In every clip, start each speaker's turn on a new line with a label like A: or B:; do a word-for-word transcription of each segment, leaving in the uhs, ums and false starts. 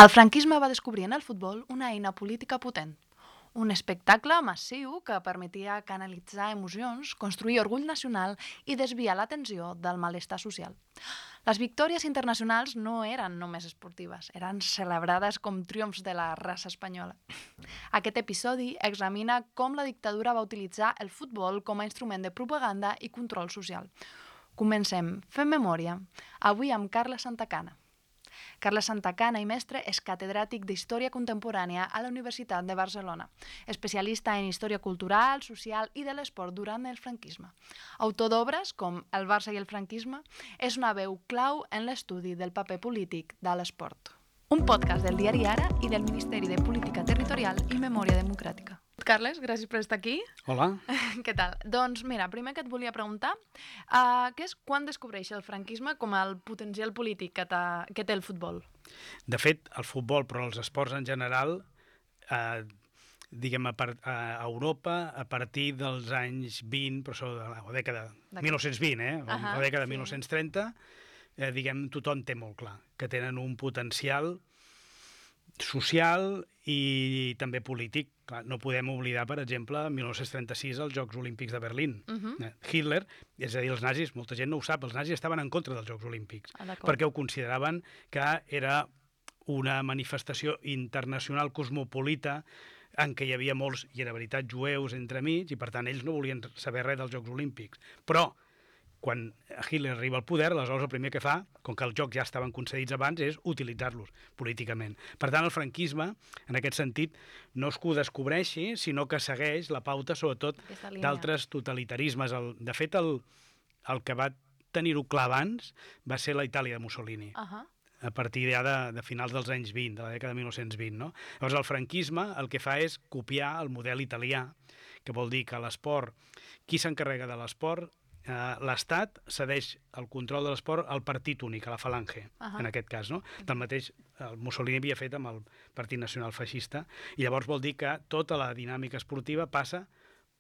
A: El franquisme va descobrir en el futbol una eina política potent, un espectacle massiu que permetia canalitzar emocions, construir orgull nacional i desviar l'atenció del malestar social. Les victòries internacionals no eren només esportives, eren celebrades com triomfs de la raça espanyola. Aquest episodi examina com la dictadura va utilitzar el futbol com a instrument de propaganda i control social. Comencem fent memòria, avui amb Carles Santacana. Carles Santacana i mestre és catedràtic d'Història Contemporània a la Universitat de Barcelona, especialista en història cultural, social i de l'esport durant el franquisme. Autor d'obres com El Barça i el franquisme, és una veu clau en l'estudi del paper polític de l'esport. Un podcast del diari Ara i del Ministeri de Política Territorial i Memòria Democràtica. Carles, gràcies per estar aquí.
B: Hola.
A: Què tal? Doncs mira, primer que et volia preguntar, uh, què és quan descobreix el franquisme com el potencial polític que, que té el futbol?
B: De fet, el futbol, però els esports en general, eh, diguem, a, par a Europa, a partir dels anys vint, però això de la dècada de mil nou-cents vint, eh? Uh -huh, la dècada de sí. mil nou-cents trenta, eh, diguem, tothom té molt clar que tenen un potencial social i també polític. Clar, no podem oblidar, per exemple, mil nou-cents trenta-sis els Jocs Olímpics de Berlín. Uh -huh. Hitler, és a dir, els nazis, molta gent no ho sap, els nazis estaven en contra dels Jocs Olímpics, ah, perquè ho consideraven que era una manifestació internacional cosmopolita en què hi havia molts, i era veritat, jueus entremig, i per tant ells no volien saber res dels Jocs Olímpics. Però quan Hitler arriba al poder, aleshores el primer que fa, com que els jocs ja estaven concedits abans, és utilitzar-los políticament. Per tant, el franquisme, en aquest sentit, no és que ho descobreixi, sinó que segueix la pauta, sobretot, d'altres totalitarismes. El, de fet, el, el que va tenir-ho clar abans va ser la Itàlia de Mussolini, uh -huh. a partir ja de, de finals dels anys vint, de la dècada de mil nou-cents vint. No? Llavors, el franquisme el que fa és copiar el model italià, que vol dir que l'esport, qui s'encarrega de l'esport? Uh, l'Estat cedeix el control de l'esport al partit únic, a la Falange, uh -huh. en aquest cas, no? Del mateix el Mussolini havia fet amb el Partit Nacional Feixista, i llavors vol dir que tota la dinàmica esportiva passa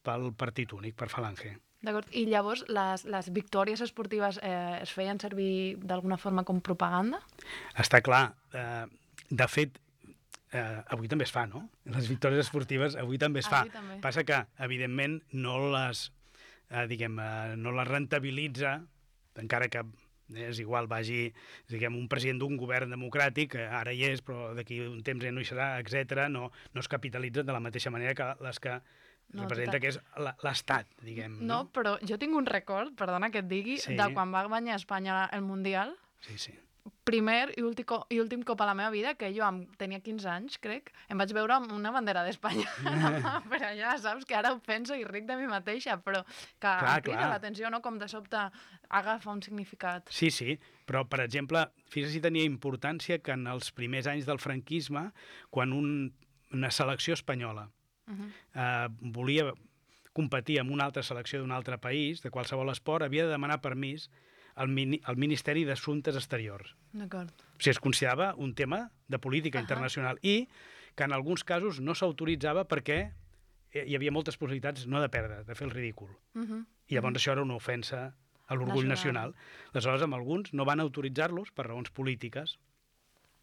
B: pel partit únic, per Falange.
A: D'acord, i llavors les, les victòries esportives eh, es feien servir d'alguna forma com propaganda?
B: Està clar. Uh, de fet, uh, avui també es fa, no? Les victòries esportives avui també es fa.
A: També.
B: Passa que, evidentment, no les... Uh, diguem, uh, no la rentabilitza, encara que és igual, vagi, diguem, un president d'un govern democràtic, que ara hi és, però d'aquí un temps ja no hi serà, etcètera, no, no es capitalitzen de la mateixa manera que les que no, representa, total. Que és l'Estat, diguem.
A: No, no, però jo tinc un record, perdona que et digui, sí. de quan va guanyar Espanya el Mundial.
B: Sí, sí.
A: Primer i últim, i últim cop a la meva vida, que jo amb, tenia quinze anys, crec, em vaig veure amb una bandera d'Espanya. Per allà, saps? Que ara ho penso i ric de mi mateixa, però que clar, em crida l'atenció, no? Com de sobte agafa un significat.
B: Sí, sí, però, per exemple, fixa't si tenia importància que en els primers anys del franquisme, quan un, una selecció espanyola uh -huh. eh, volia competir amb una altra selecció d'un altre país, de qualsevol esport, havia de demanar permís al mini, Ministeri d'Assumptes Exteriors.
A: D'acord.
B: O sigui, es considerava un tema de política uh -huh. internacional i que en alguns casos no s'autoritzava perquè hi havia moltes possibilitats no de perdre, de fer el ridícul. Uh -huh. I llavors uh -huh. això era una ofensa a l'orgull nacional. nacional. Aleshores, amb alguns no van autoritzar-los per raons polítiques.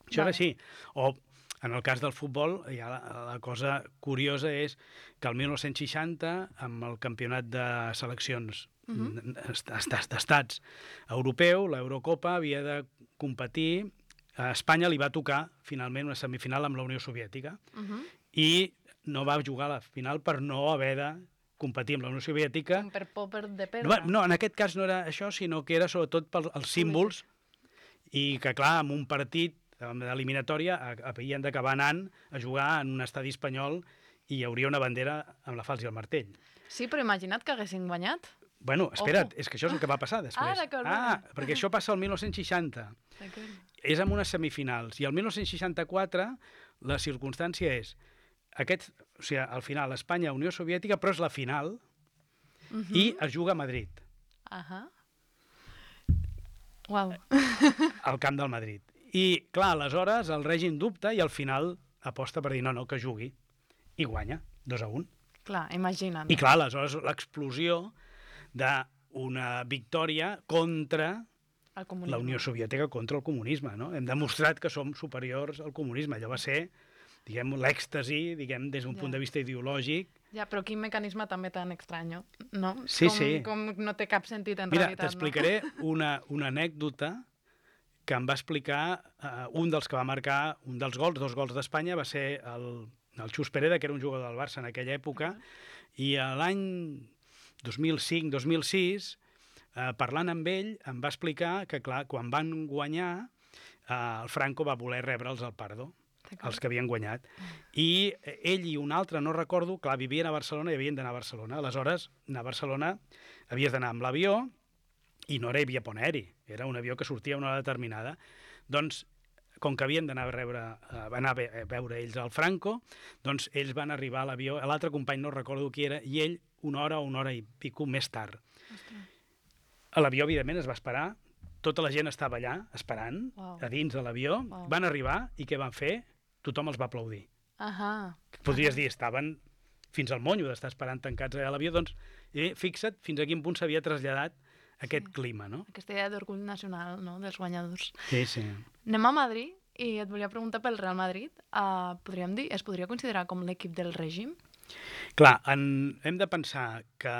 B: Això vale. Era així. O, en el cas del futbol, ja la, la cosa curiosa és que el mil nou-cents seixanta, amb el campionat de seleccions Uh-huh. d'estats europeu, l'Eurocopa havia de competir, a Espanya li va tocar finalment una semifinal amb la Unió Soviètica uh-huh. i no va jugar a la final per no haver de competir amb la Unió Soviètica.
A: Com per por de perdre.
B: No, no, en aquest cas no era això, sinó que era sobretot pels símbols i que, clar, en un partit d'eliminatòria havien d'acabar anant a jugar en un estadi espanyol i hi hauria una bandera amb la falç i el martell.
A: Sí, però imagina't que haguessin guanyat.
B: Bueno, espera't, és que això és el que va passar després.
A: Ah, d'acord.
B: Ah, perquè això passa el mil nou-cents seixanta. És en unes semifinals. I el mil nou-cents seixanta-quatre la circumstància és aquest, o sigui, al final Espanya-Unió Soviètica, però és la final uh -huh. i es juga a Madrid.
A: Ahà. Uh -huh. Uau.
B: Al camp del Madrid. I, clar, aleshores el règim dubta i al final aposta per dir no, no, que jugui. I guanya, dos a un.
A: Clar, imagina't.
B: I clar, aleshores l'explosió d'una victòria contra la Unió Soviètica contra el comunisme, no? Hem demostrat que som superiors al comunisme. Allò va ser, diguem, l'èxtasi, diguem, des d'un punt de vista ideològic.
A: Ja, però quin mecanisme també tan estrany, no?
B: Sí,
A: com,
B: sí.
A: Com no té cap sentit en
B: Mira,
A: realitat, no?
B: t'explicaré una, una anècdota que em va explicar uh, un dels que va marcar un dels gols, dos gols d'Espanya, va ser el, el Xus Pereda, que era un jugador del Barça en aquella època, uh-huh. i l'any dos mil cinc dos mil sis, uh, parlant amb ell, em va explicar que, clar, quan van guanyar, uh, el Franco va voler rebre'ls al Pardo, els que havien guanyat. I ell i un altre, no recordo, clar, vivien a Barcelona i havien d'anar a Barcelona. Aleshores, anar a Barcelona havies d'anar amb l'avió i no era via pont aeri, era un avió que sortia a una hora determinada. Doncs, com que havien d'anar a, rebre, a anar a veure ells al Franco, doncs ells van arribar a l'avió, l'altre company no recordo qui era, i ell una hora o una hora i pico més tard. A l'avió, evidentment, es va esperar, tota la gent estava allà, esperant, wow. a dins de l'avió, wow. van arribar i què van fer? Tothom els va aplaudir.
A: Ahà.
B: Podries dir, estaven fins al monyo d'estar esperant tancats a l'avió, doncs, eh, fixa't fins a quin punt s'havia traslladat aquest sí. clima, no?
A: Aquesta idea d'orgull nacional, no?, dels guanyadors.
B: Sí, sí.
A: Anem a Madrid i et volia preguntar pel Real Madrid. Uh, podríem dir, es podria considerar com l'equip del règim?
B: Clar, en, hem de pensar que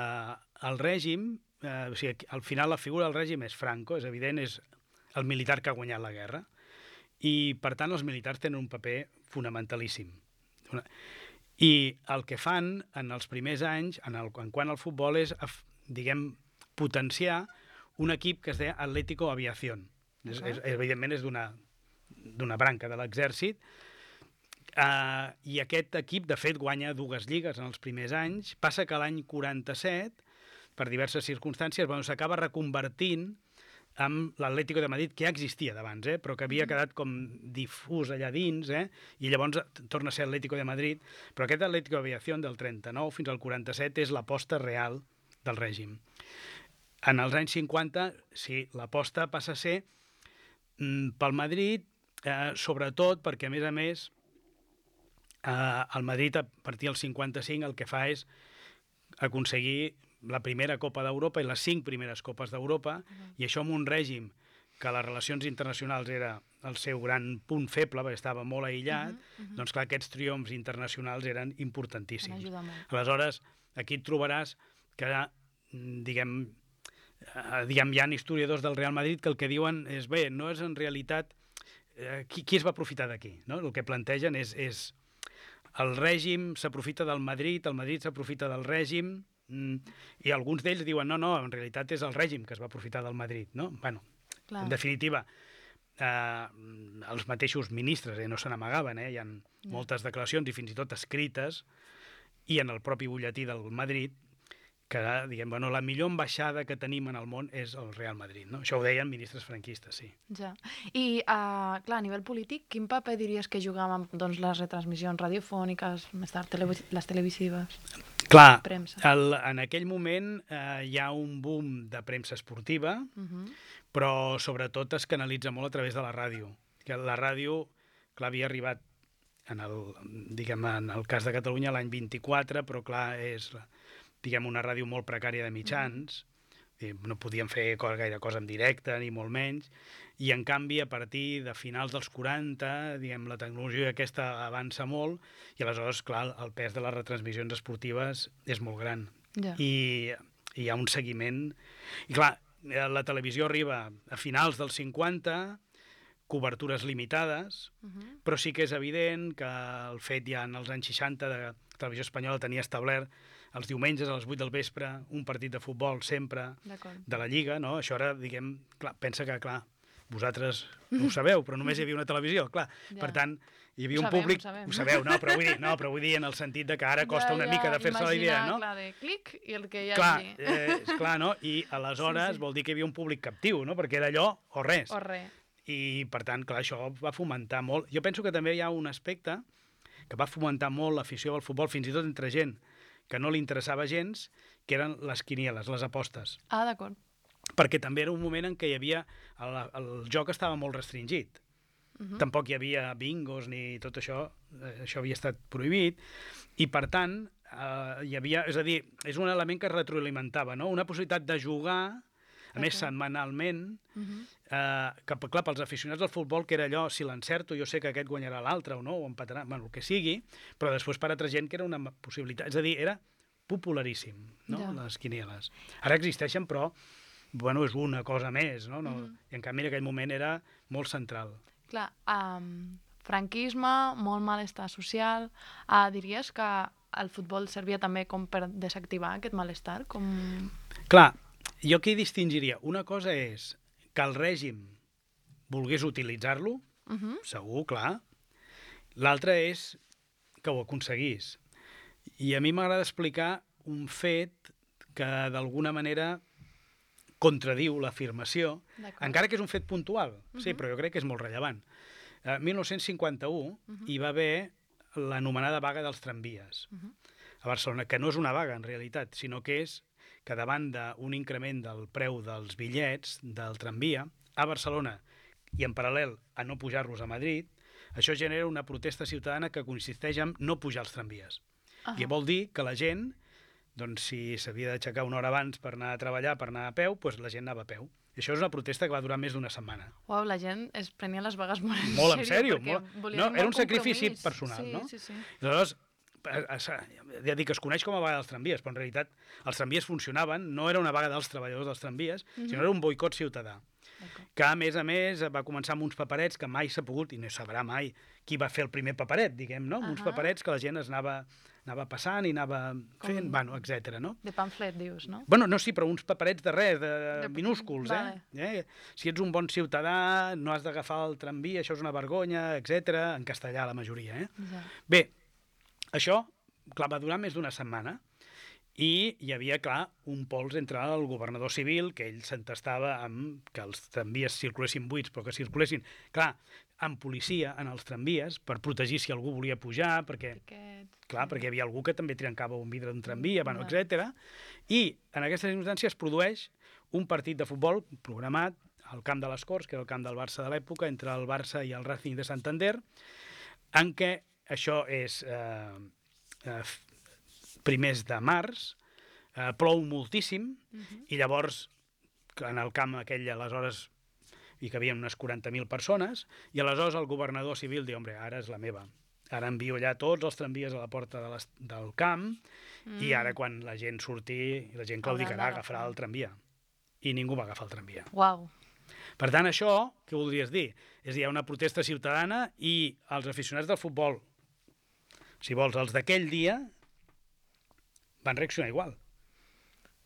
B: el règim, eh, o sigui, al final la figura del règim és Franco, és evident, és el militar que ha guanyat la guerra, i, per tant, els militars tenen un paper fonamentalíssim. I el que fan en els primers anys, en, el, en quant al futbol, és, diguem, potenciar un equip que es deia Atlético Aviación. Uh-huh. És, és, evidentment, és d'una d'una branca de l'exèrcit. Uh, I aquest equip, de fet, guanya dues lligues en els primers anys. Passa que l'any quaranta-set, per diverses circumstàncies, bueno, s'acaba reconvertint amb l'Atlético de Madrid, que ja existia d'abans, eh? però que havia quedat com difús allà dins, eh? i llavors torna a ser Atlético de Madrid. Però aquest Atlético Aviación del trenta-nou fins al quaranta-set és l'aposta real del règim. En els anys cinquanta, sí, l'aposta passa a ser mm, pel Madrid, eh, sobretot perquè, a més a més, eh, el Madrid, a partir del cinquanta-cinc, el que fa és aconseguir la primera Copa d'Europa i les cinc primeres Copes d'Europa, uh-huh. i això amb un règim que les relacions internacionals era el seu gran punt feble, perquè estava molt aïllat, uh-huh, uh-huh. doncs clar, aquests triomfs internacionals eren importantíssims. Aleshores, aquí et trobaràs que, diguem, eh, diguem, hi ha historiadors del Real Madrid que el que diuen és, bé, no és en realitat eh, qui, qui es va aprofitar d'aquí, no? El que plantegen és, és el règim s'aprofita del Madrid, el Madrid s'aprofita del règim, Mm, i alguns d'ells diuen no, no, en realitat és el règim que es va aprofitar del Madrid, no? Bueno, clar. En definitiva, eh, els mateixos ministres eh, no se n'amagaven, eh? Hi ha ja. moltes declaracions i fins i tot escrites, i en el propi butlletí del Madrid, que, diguem, bueno, la millor ambaixada que tenim en el món és el Real Madrid, no? Això ho deien ministres franquistes, sí.
A: Ja. I, uh, clar, a nivell polític, quin paper diries que jugaven doncs, les retransmissions radiofòniques, més tard televis les televisives?
B: Clar, el, en aquell moment eh, hi ha un boom de premsa esportiva, uh-huh. però sobretot es canalitza molt a través de la ràdio. Que la ràdio, clar, havia arribat, en el, diguem, en el cas de Catalunya, l'any vint-i-quatre, però clar, és, diguem, una ràdio molt precària de mitjans, uh-huh. no podien fer gaire cosa en directe, ni molt menys, i en canvi, a partir de finals dels quaranta, diguem, la tecnologia aquesta avança molt, i aleshores, clar, el pes de les retransmissions esportives és molt gran.
A: Ja.
B: I, i hi ha un seguiment. I clar, la televisió arriba a finals dels cinquanta, cobertures limitades, uh-huh. però sí que és evident que el fet ja en els anys seixanta de Televisió Espanyola tenia establert els diumenges a les vuit del vespre un partit de futbol sempre de la Lliga, no? Això era, diguem, clar, pensa que, clar, vosaltres no ho sabeu, però només hi havia una televisió, clar. Ja. Per tant, hi havia un
A: sabem,
B: públic...
A: Ho sabem,
B: ho sabeu, no? Però vull dir, no, però vull dir en el sentit de que ara costa ja, una ja, mica de fer-se la idea, no?
A: Clar, de clic i el que hi
B: clar,
A: hagi.
B: Eh, esclar, no? I aleshores sí, sí. vol dir que hi havia un públic captiu, no? Perquè era allò o res.
A: O res.
B: I, per tant, clar, això va fomentar molt. Jo penso que també hi ha un aspecte que va fomentar molt l'afició al futbol, fins i tot entre gent que no li interessava gens, que eren les quinieles, les apostes.
A: Ah, d'acord.
B: Perquè també era un moment en què hi havia... El, el joc estava molt restringit. Uh-huh. Tampoc hi havia bingos ni tot això. Això havia estat prohibit. I, per tant, eh, hi havia... És a dir, és un element que es retroalimentava, no? Una possibilitat de jugar, a okay. més setmanalment, uh-huh. Uh, que, clar, pels aficionats del futbol, que era allò, si l'encerto, jo sé que aquest guanyarà l'altre o no, o empatarà, bueno, el que sigui, però després per altra gent que era una possibilitat. És a dir, era popularíssim, no?, ja. Les quinieles. Ara existeixen, però, bueno, és una cosa més, no? no mm -hmm. I en canvi en aquell moment era molt central.
A: Clar, um, franquisme, molt malestar social, uh, diries que el futbol servia també com per desactivar aquest malestar? Com...
B: Clar, jo aquí distingiria. Una cosa és que el règim volgués utilitzar-lo, uh-huh. segur, clar. L'altre és que ho aconseguís. I a mi m'agrada explicar un fet que d'alguna manera contradiu l'afirmació, encara que és un fet puntual, uh-huh. sí, però jo crec que és molt rellevant. El dinou cinquanta-u uh-huh. hi va haver l'anomenada vaga dels tramvies uh-huh. a Barcelona, que no és una vaga en realitat, sinó que és que davant d'un increment del preu dels bitllets del tramvia a Barcelona i en paral·lel a no pujar-los a Madrid, això genera una protesta ciutadana que consisteix en no pujar els tramvies. Uh -huh. I vol dir que la gent, doncs, si s'havia d'aixecar una hora abans per anar a treballar, per anar a peu, doncs la gent anava a peu. I això és una protesta que va durar més d'una setmana.
A: Uau, la gent es prenia les vagues molt en
B: molt en
A: sèrio.
B: Molt en sèrio. No, era un sacrifici personal,
A: sí,
B: no?
A: Sí, sí.
B: I aleshores, ja dic que es coneix com a vaga dels tramvies, però en realitat els tramvies funcionaven, no era una vaga dels treballadors dels tramvies, uh-huh. sinó era un boicot ciutadà. Que, a més a més, va començar amb uns paperets que mai s'ha pogut, i no sabrà mai qui va fer el primer paperet, diguem, no? Uh-huh. Uns paperets que la gent es anava, anava passant i anava fent, com... bueno, etcètera, no?
A: De pamflet, dius, no?
B: Bueno, no, sí, però uns paperets de res, de, de... minúsculs,
A: vale.
B: eh? eh? Si ets un bon ciutadà, no has d'agafar el tramvia, això és una vergonya, etcètera, en castellà la majoria, eh? Ja. Bé, això, clar, va durar més d'una setmana, i hi havia, clar, un pols entre el governador civil, que ell s'entestava amb que els tramvies circulessin buits, però que circulessin, clar, amb policia en els tramvies, per protegir si algú volia pujar, perquè, Aquest... clar, perquè hi havia algú que també trencava un vidre d'un tramvia, bueno, etcètera. I en aquestes circumstàncies es produeix un partit de futbol programat al Camp de les Corts, que era el camp del Barça de l'època, entre el Barça i el Racing de Santander, en què això és... Eh, eh, primers de març, eh, plou moltíssim, uh-huh. i llavors en el camp aquell aleshores hi cabien unes quaranta mil persones, i aleshores el governador civil diu, hombre, ara és la meva, ara envio allà tots els tramvies a la porta de les, del camp, mm. i ara quan la gent surti, la gent claudicarà, agafarà el tramvia. I ningú va agafar el tramvia.
A: Uau.
B: Per tant, això, què voldries dir? És a dir, hi ha una protesta ciutadana i els aficionats del futbol, si vols, els d'aquell dia, van reaccionar igual.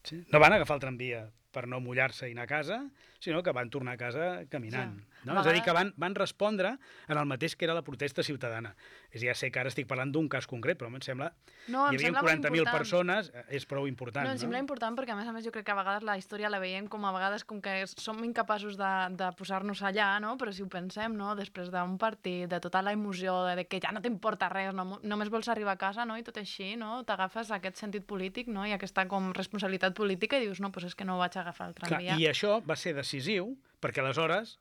B: Sí? No van agafar el tramvia per no mullar-se i anar a casa, sinó que van tornar a casa caminant. Ja. No? És a dir, que van, van respondre en el mateix que era la protesta ciutadana. És a dir, ja sé que ara estic parlant d'un cas concret, però em sembla...
A: No, em
B: hi havia quaranta mil persones, és prou important.
A: No, em
B: no?
A: sembla important perquè, a més a més, jo crec que a vegades la història la veiem com a vegades com que som incapaços de, de posar-nos allà, no? Però si ho pensem, no? Després d'un partit, de tota la emoció, de, de que ja no t'importa res, no? Només vols arribar a casa, no? I tot així, no? T'agafes aquest sentit polític, no? I aquesta com responsabilitat política i dius, no, doncs és que no vaig agafar el tramvia.
B: Clar, i això va ser decisiu perquè aleshores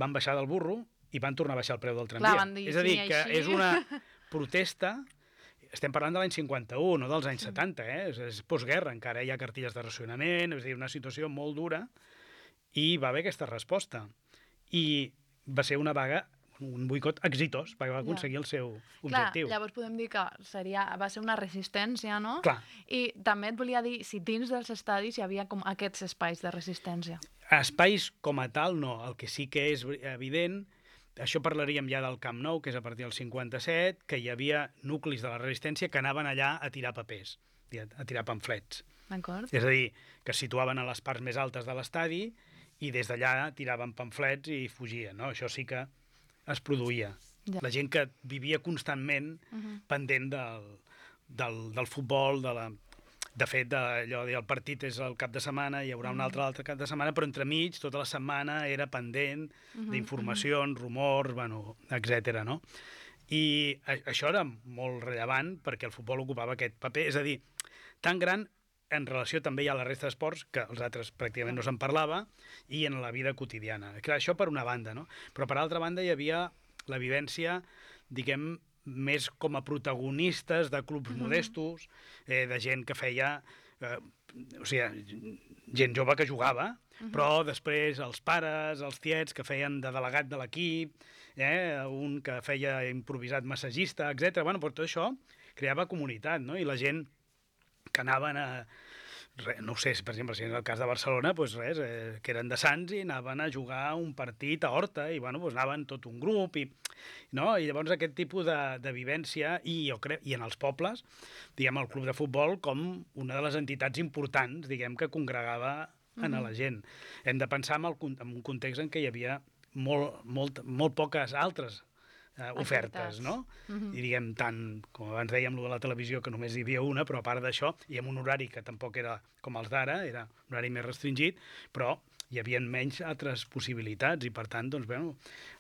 B: van baixar del burro i van tornar a baixar el preu del tramvia.
A: Clar, van dir,
B: és a dir,
A: sí,
B: que
A: així...
B: és una protesta, estem parlant de l'any cinquanta-u, no dels anys sí. setanta, eh? És, és postguerra, encara hi ha cartilles de racionament, és a dir, una situació molt dura, i va haver aquesta resposta. I va ser una vaga, un boicot exitós, perquè va aconseguir ja. el seu objectiu.
A: Clar, llavors podem dir que seria, va ser una resistència, no?
B: Clar.
A: I també et volia dir si dins dels estadis hi havia com aquests espais de resistència.
B: Espais com a tal, no. El que sí que és evident, això parlaríem ja del Camp Nou, que és a partir del cinquanta-set, que hi havia nuclis de la resistència que anaven allà a tirar papers, a tirar pamflets.
A: D'acord.
B: És a dir, que es situaven a les parts més altes de l'estadi i des d'allà tiraven pamflets i fugien, no? Això sí que es produïa. Ja. La gent que vivia constantment uh-huh. pendent del, del, del futbol, de la... De fet, allò de, el partit és el cap de setmana, hi haurà un altre altre cap de setmana, però entremig, tota la setmana era pendent uh-huh, d'informacions, uh-huh. rumors, bueno, etcètera, no? I a, això era molt rellevant perquè el futbol ocupava aquest paper, és a dir, tan gran en relació també hi ha la resta d'esports, que els altres pràcticament no se'n parlava, i en la vida quotidiana. Clar, això per una banda, no? Però per altra banda hi havia la vivència, diguem, més com a protagonistes de clubs mm-hmm. modestos, eh, de gent que feia eh, o sigui, gent jove que jugava, uh-huh. però després els pares, els tiets que feien de delegat de l'equip, eh, un que feia improvisat massagista, etcètera. Bueno, però tot això creava comunitat, no? I la gent que anaven a... Res, no ho sé, per exemple, si en el cas de Barcelona, doncs res, eh, que eren de Sants i anaven a jugar un partit a Horta i bueno, doncs anaven tot un grup i, no? I llavors aquest tipus de, de vivència i jo crec, i en els pobles, diguem, el club de futbol com una de les entitats importants, diguem, que congregava en mm-hmm. la gent. Hem de pensar en, el, en un context en què hi havia molt, molt, molt poques altres Uh, ofertes, no? Uh-huh. I diguem, tant, com abans dèiem, lo de la televisió, que només hi havia una, però a part d'això, i amb un horari que tampoc era com els d'ara, era un horari més restringit, però hi havia menys altres possibilitats, i per tant, doncs, bueno,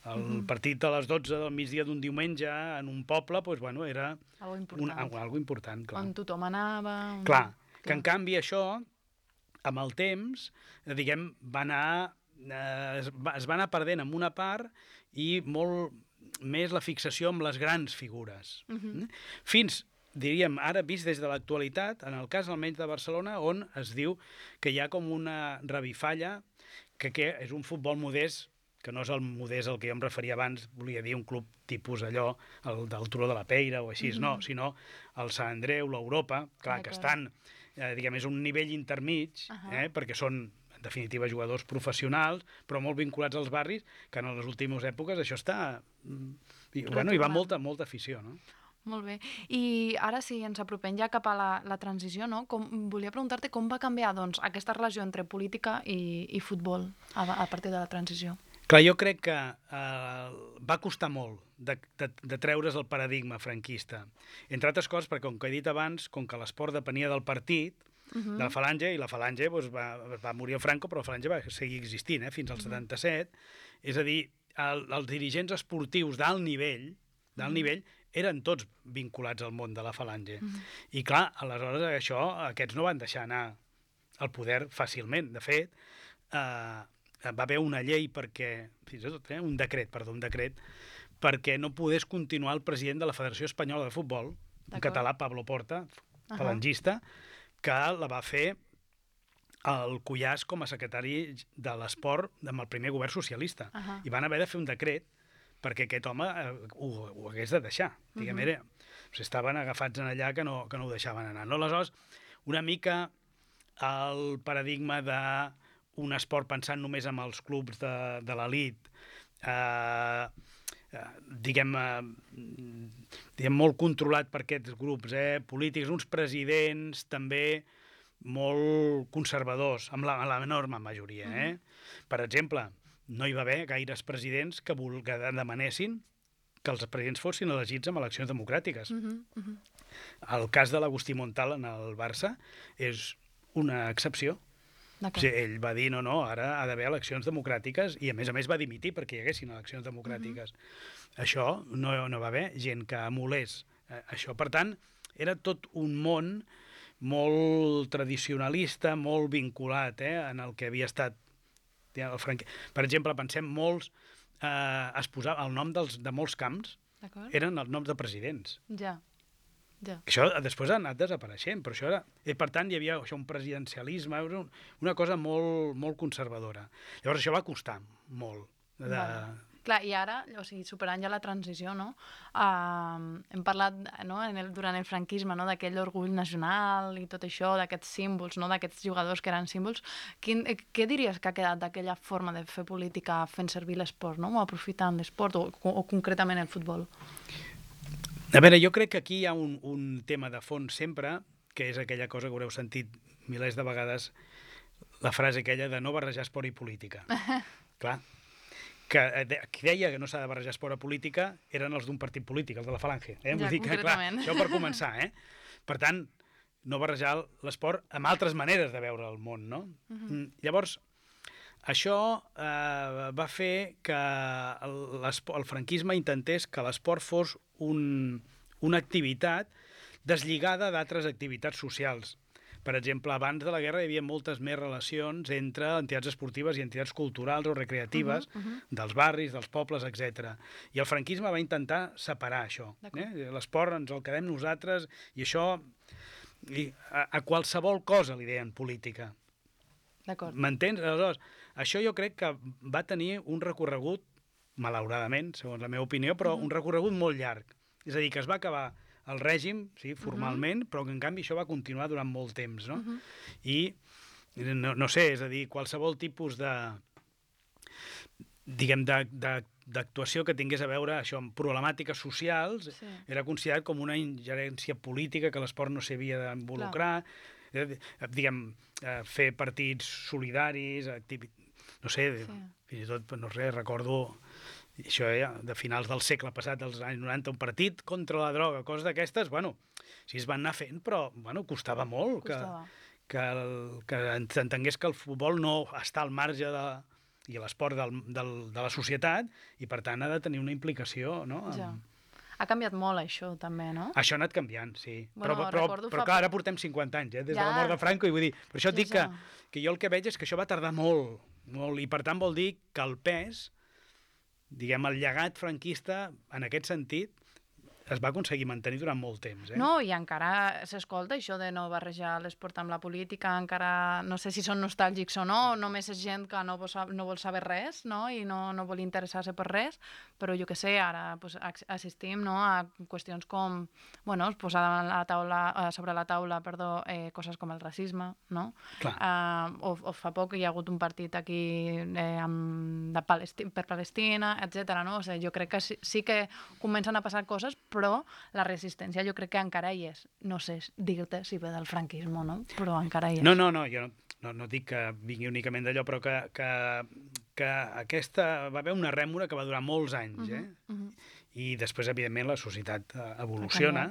B: el uh-huh. partit a les dotze del migdia d'un diumenge en un poble, doncs, bueno, era
A: algo important,
B: una, algo important, clar.
A: On tothom anava... Un...
B: Clar, clar, que en canvi això, amb el temps, diguem, va anar, eh, es, va, es va anar perdent en una part i molt... més la fixació amb les grans figures. Uh-huh. Fins, diríem, ara vist des de l'actualitat, en el cas almenys de Barcelona, on es diu que hi ha com una revifalla, que, que és un futbol modest, que no és el modest al que jo em referia abans, volia dir un club tipus allò, el del Turó de la Peira o així, uh-huh. no, sinó el Sant Andreu, l'Europa, clar, ah, que estan, eh, diguem, és un nivell intermig, uh-huh. eh, perquè són en definitiva jugadors professionals, però molt vinculats als barris, que en les últimes èpoques això està... I, bueno, hi va molta, molta afició, no?
A: Molt bé. I ara sí, ens apropem ja cap a la, la transició, no? Com, volia preguntar-te com va canviar, doncs, aquesta relació entre política i, i futbol a, a partir de la transició.
B: Clar, jo crec que eh, va costar molt de, de, de treure's el paradigma franquista. Entre altres coses, perquè com que he dit abans, com que l'esport depenia del partit, Uh-huh. de la Falange, i la Falange doncs, va, va morir el Franco, però la Falange va seguir existint eh, fins al uh-huh. setanta-set. És a dir, el, els dirigents esportius d'alt nivell, d'alt uh-huh. nivell eren tots vinculats al món de la Falange. Uh-huh. I clar, aleshores això, aquests no van deixar anar el poder fàcilment. De fet, eh, va haver una llei perquè, fins i tot, eh, un decret, perdó, un decret, perquè no pogués continuar el president de la Federació Espanyola de Futbol, un català, Pablo Porta, uh-huh. falangista, que la va fer el Cuyàs com a secretari de l'esport amb el primer govern socialista. Uh-huh. I van haver de fer un decret perquè aquest home eh, ho, ho hagués de deixar. Uh-huh. Diguem, era, o sigui, estaven agafats en allà que no, que no ho deixaven anar. No? Aleshores, una mica el paradigma d'un esport pensant només en els clubs de, de l'elit, eh, eh, diguem, eh, diguem, molt controlat per aquests grups eh, polítics, uns presidents també molt conservadors, amb la, la enorme majoria. Eh? Mm. Per exemple, no hi va haver gaires presidents que, que demanessin que els presidents fossin elegits amb eleccions democràtiques. Mm-hmm, mm-hmm. El cas de l'Agustí Montal en el Barça és una excepció. O sigui, ell va dir, no, no, ara ha d'haver eleccions democràtiques, i a més a més va dimitir perquè hi haguessin eleccions democràtiques. Mm-hmm. Això no, no va haver gent que emulés eh, això. Per tant, era tot un món molt tradicionalista, molt vinculat eh, en el que havia estat el franqui... Per exemple, pensem molts, eh, es posava el nom dels, de molts camps, eren els noms de presidents.
A: Ja. Ja.
B: Això després ha anat desapareixent, però això era... I per tant, hi havia això, un presidencialisme, una cosa molt, molt conservadora. Llavors això va costar molt. De...
A: Vale. Clar, i ara, o sigui, superant ja la transició, no? Uh, hem parlat no, en el, durant el franquisme no, d'aquell orgull nacional i tot això, d'aquests símbols, no, d'aquests jugadors que eren símbols. Quin, eh, què diries que ha quedat d'aquella forma de fer política fent servir l'esport, no? O aprofitant l'esport, o, o concretament el futbol?
B: A veure, jo crec que aquí hi ha un, un tema de fons sempre, que és aquella cosa que haureu sentit milers de vegades, la frase aquella de no barrejar esport i política. Clar, que qui deia que no s'ha de barrejar esport a política eren els d'un partit polític, els de la Falange. Eh?
A: Ja,
B: Vull dir que, clar, això per començar. Eh? Per tant, no barrejar l'esport amb altres maneres de veure el món, no? Uh-huh. Llavors, això eh, va fer que el, el franquisme intentés que l'esport fos un, una activitat deslligada d'altres activitats socials. Per exemple, abans de la guerra hi havia moltes més relacions entre entitats esportives i entitats culturals o recreatives uh-huh, uh-huh. dels barris, dels pobles, etcètera. I el franquisme va intentar separar això. Eh? L'esport ens el quedem nosaltres i això I a, a qualsevol cosa li deien política.
A: D'acord.
B: M'entens? Aleshores, això jo crec que va tenir un recorregut, malauradament, segons la meva opinió, però uh-huh. un recorregut molt llarg. És a dir, que es va acabar el règim, sí, formalment, uh-huh. però que en canvi això va continuar durant molt temps, no? Uh-huh. I, no, no sé, és a dir, qualsevol tipus de, diguem, de, de, d'actuació que tingués a veure això amb problemàtiques socials, sí. era considerat com una ingerència política que l'esport no s'havia d'involucrar, diguem, fer partits solidaris, activi... no sé, sí. fins i tot, no sé, recordo això ja, de finals del segle passat, dels anys noranta, un partit contra la droga, coses d'aquestes, bueno, sí es van anar fent, però, bueno, costava molt costava. que, que, el, que s'entengués que el futbol no està al marge de, i l'esport del, del, de la societat, i per tant ha de tenir una implicació, no?
A: Ja. Ha canviat molt això, també, no?
B: Això ha anat canviant, sí.
A: Bueno,
B: però però, però fa... clar, ara portem cinquanta anys, eh, des ja. de la mort de Franco, i vull dir, per això et dic que, que jo el que veig és que això va tardar molt, molt, i per tant vol dir que el pes, diguem, el llegat franquista, en aquest sentit, es va aconseguir mantenir durant molt temps. Eh?
A: No, i encara s'escolta això de no barrejar l'esport amb la política, encara no sé si són nostàlgics o no, només és gent que no vol, no vol saber res, no? I no, no vol interessar-se per res, però jo que sé, ara pues, assistim, no? a qüestions com, bueno, posar a la taula, sobre la taula, perdó, eh, coses com el racisme, no? Uh, o, o fa poc hi ha hagut un partit aquí eh, amb, de Palesti per Palestina, etcètera. No? O sigui, jo crec que sí, sí que comencen a passar coses, però la resistència jo crec que encara hi és. No sé dir-te si ve del franquisme o no, però encara hi és.
B: No, no, no, jo no, no, no dic que vingui únicament d'allò, però que, que, que aquesta va haver una rèmora que va durar molts anys, eh? Uh-huh, uh-huh. I després, evidentment, la societat evoluciona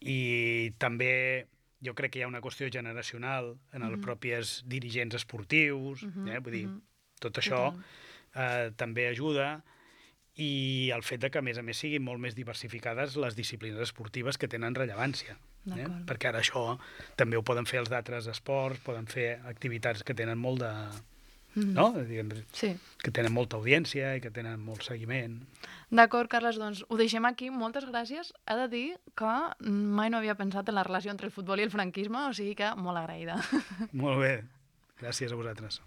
B: i també jo crec que hi ha una qüestió generacional en els uh-huh. propis dirigents esportius, uh-huh, eh? Vull dir, uh-huh. tot això eh, també ajuda, i el fet de que, a més a més, siguin molt més diversificades les disciplines esportives que tenen rellevància. Eh? Perquè ara això també ho poden fer els d'altres esports, poden fer activitats que tenen molt de... Mm. no? Diguem, sí. que tenen molta audiència i que tenen molt seguiment.
A: D'acord, Carles, doncs ho deixem aquí. Moltes gràcies. He de dir que mai no havia pensat en la relació entre el futbol i el franquisme, o sigui que molt agraïda.
B: Molt bé. Gràcies a vosaltres.